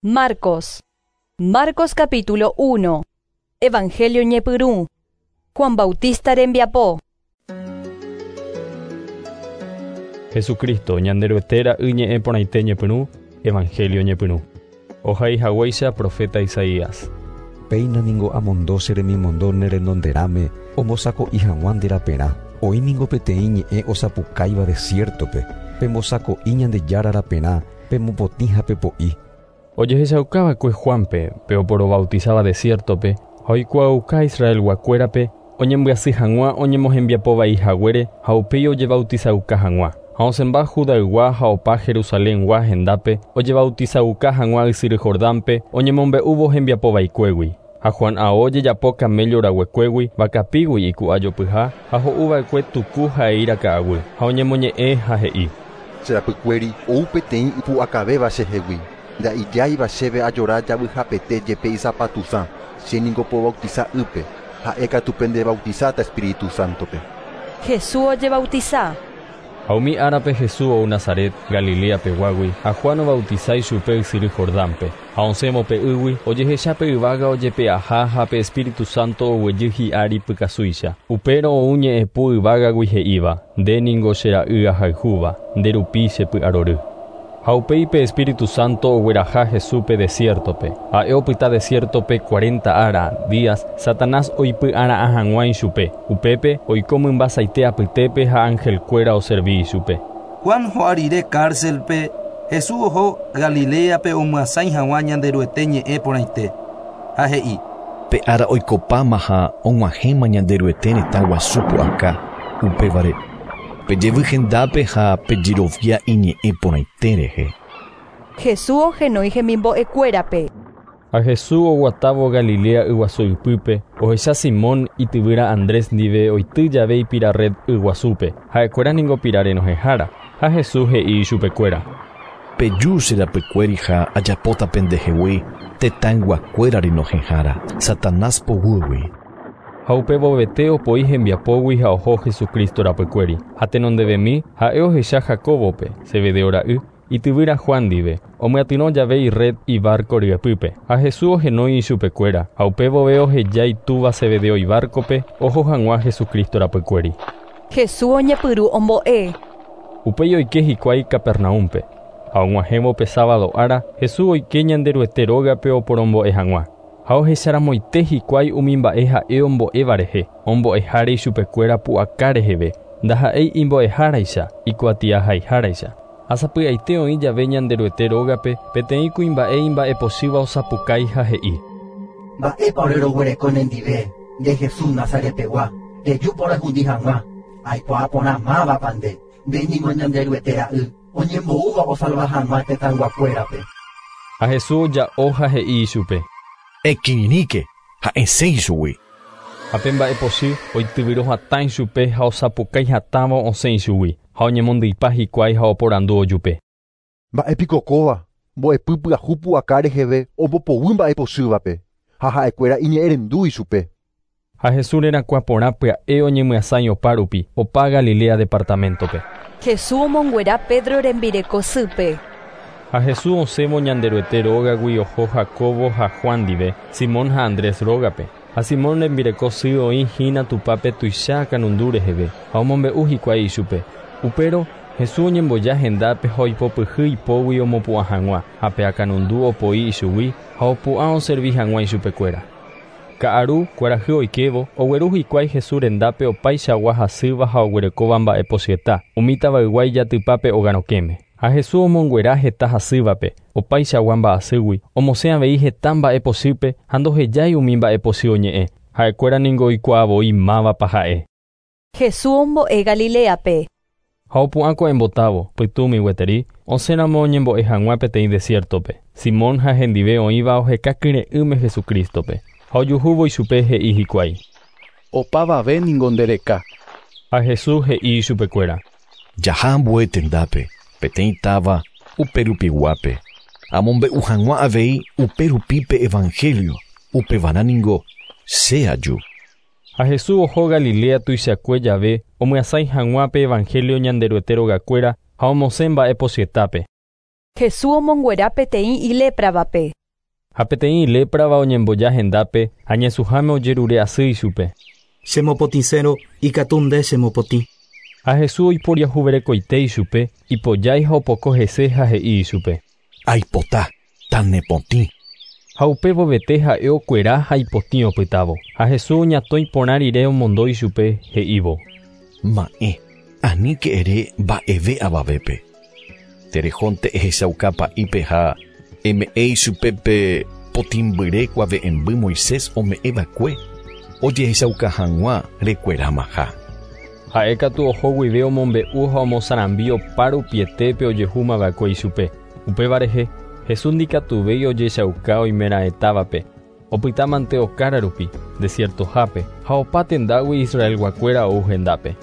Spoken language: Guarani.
Marcos. Marcos capítulo 1. Evangelio ñepyrũ. Juan Bautista rembiapo. Jesucristo, Ñanderuete ra'y ñe'ẽ porãite ñepyrũ, Evangelio ñepyrũ. Ohai haguéicha profeta Isaías. Péina ningo amondo che remimondo ne renonderãme ombosako'i hag̃ua nde raperã. Oĩ ningo peteĩ ñe'ẽ osapukáiva desiértope, Pembosako'i Ñandejára raperã, pemopotĩ ha pepo'i. Ojehechauka va'ekue Juánpe, pe oporobautisáva desiértope, ha oikuaauka Israelguakuérape oñembyasy hag̃ua oñemohembiapo vai haguére ha upéi ojebautisauka hag̃ua. Ha osẽmba Judaygua ha opa Jerusalengua hendápe ojebautisauka hag̃ua ysyry Jordánpe oñemombe'úvo hembiapo vaikuégui. Ha Juan ao ojejapo camello raguekuégui, vakapígui iku'a jopyha ha ho'u va'ekue tuku ha eíra ka'aguy. Ha oñemoñe'ẽ ha he'i: Che rapykuéri ou peteĩ ipu'akavéva chehegui. Nda'ijáiva chéve ajora javyhapete jepe isapatusã. Che ningo pobautiza ýpe. Ha'e katu pendebautizáta Espíritu Santo-pe. Jesús ojebautiza. Ha umi árape Jesús ou Nazaret, Galilea peguágui, ha Juan obautiza ichupe ysyry Jordánpe. Ha osẽvo pe ýgui, ojehecha pe yvága ojepe'aha ha pe Espíritu Santo oguejy hi'ári pykasúicha. Upérõ ou ñe'ẽpu yvágagui he'íva, Nde ningo che ra'y ahayhúva, nde rupi che py'arory. Ha upéi pe Espíritu Santo ogueraha Jesúspe desiértope. Ha'e opyta desiértope cuarenta ára, días, Satanás oipy'ara'ã hag̃ua ichupe. Upépe, oiko mymba saite apytépe ha anhelkuéra oservi ichupe. Juan ho'a rire cárcelpe, Jesús oho Galiléape omyasãi hag̃ua Ñanderuete ñe'ẽ porãite, ha he'i. Pe ára oikopáma ha og̃uahẽma Ñanderuete retã guasu pu'aka, upévare, pejevy hendápe ha pejerovia iñe'ẽ porãite rehe. Jesús ohenói hemimbo'ekuérape. Ha Jesús oguatávo Galilea yguasu ypýpe, ohecha Simón ityvýra Andrés ndive oity jave ipira red yguasúpe, ha'ekuéra ningo pira renohẽhára. Ha Jesús he'i ichupekuéra. Peju che rapykuéri ha ajapóta pendehegui tetãyguakuéra renohẽhára, Satanás poguýgui. Ha upe vovete opoi hembiapógui ha oho Jesucristo rapykuéri. Ha tenondevemi, ha'e ohecha Jacóbope, Zebedeo ra'y, ityvýra Juan ndive, omyatyrõ jave irred ibárko ryepýpe. Ha Jesús ohenói ichupekuéra, ha upe vove oheja itúva Zebedeo ibárkope oho hag̃ua Jesucristo rapykuéri. Jesús oñepyrũ ombo'e. Upéi oike hikuái Capernaúmpe. Ha og̃uahẽvo pe sábado ára, Jesús oike Ñanderuete rógape oporombo'e hag̃ua. Ha ohecharamoite hikuái umi mba'e ha'e ombo'éva rehe, ombo'eháre ichupekuéra pu'aka reheve, ndaha'éi imbo'eháraicha, ikuatiahaiháraicha. Ha sapy'aite oĩ jave Ñanderuete rógape, peteĩ kuimba'e imba'epochýva osapukái ha he'i. Mba'épa ore roguereko nendive, nde Jesús Nazaret pegua, rejúpa orehundi hag̃ua? Aikuaa porã mávapa nde, nde ningo Ñanderuete Ra'y, oñemboúva osalva hag̃ua tetãyguakuérape. Ha Jesús oja'o ha he'i ichupe. Ekirirĩke ha esẽ ichugui. Ha pe mba'epochy oityvyro hatã ichupe ha osapukái hatãvo osẽ ichugui, ha oñemondyipa hikuái ha oporandu ojupe. Mba'e piko kóva, mbo'epy pyahu pu'aka reheve ombopoguy mba'epochývape, ha ha'ekuéra iñe'ẽrendu ichupe. Ha Jesús rerakuã porã pya'e oñemyasãi opa rupi, opa Galilea departaméntope. Jesús omonguera Pedro rembireko sýpe. Ha Jesús osẽvo Ñanderuete rógagui oho Jacóbo ha Juan ndive, Simón ha Andrés rógape. Ha Simón rembireko sy oĩ hína tupápe tuicha akãnundu reheve, ha omombe'u hikuái ichupe. Upérõ, Jesús oñemboja hendápe ha oipopyhy ipógui omopu'ã hag̃ua, ha pe akãnundu opoi ichugui ha opu'ã oservi hag̃ua ichupekuéra. Ka'aru, kuarahy oikévo, ogueru hikuái Jesús rendápe opaichagua hasýva ha oguerekóva mba'e pochyeta, umi tavaygua ijatypa pe óga rokẽme. Ha Jesús omonguera heta hasývape, opaichagua mba'asýgui, omosẽ avei heta mba'e pochýpe ha ndohejái umi mba'e pochy oñe'ẽ. Ha'ekuéra ningo oikuaa voi mávapa ha'e. Jesús ombo'e Galiléape. Ha opu'ã ko'ẽmbotávo, pytũmi gueteri, osẽramo oñembo'e hag̃ua peteĩ desiértope. Simón ha hendive oĩva oheka kyre'ỹme Jesucrístope. Ha ojuhúvo ichupe he'i hikuái. Opavave ningo ndereka. Ha Jesús he'i ichupekuéra. Jaha ambue tendápe, peteĩ táva uperupiguápe. Amombe'u hag̃ua avei uperupi pe evangelio, upevarã ningo che aju. Ha Jesús oho Galilea tuichakue jave omyasãi hag̃ua pe evangelio Ñanderuete rogakuéra ha omosẽ mba'e pochyetápe. Jesús omonguera peteĩ ilépravape. Ha peteĩ iléprava oñemboja hendápe ha ñesũháme ojerure asy ichupe. Chemopotĩsérõ ikatu nde chemopotĩ. Ha Jesús oiporiahuverekoite ichupe, ipojái ha opoko hese ha he'i ichupe. Aipota, tanepotĩ. Ha upevovete ha'e okuera ha ipotĩ opytávo. Ha Jesús oñatõi porã rire omondo ichupe he'ívo. Ma'ẽ, aníke ere mba'eve avavépe. Terejónte ehechauka pa'ípe ha eme'ẽ ichupe pe potĩmbyre kuave'ẽmby Moisés ome'ẽva'ekue ojehechauka hag̃ua rekuerámaha. Ha'e katu oho guive omombe'u ha omosarambi opa rupietépe ojehúmava'ekue ichupe. Upéva rehe, Jesús ndikatuvéi ojechauka oimeraẽtávape. Opytámante okára rupi, desiertohápe, ha opa tendágui Israelguakuéra ou hendápe.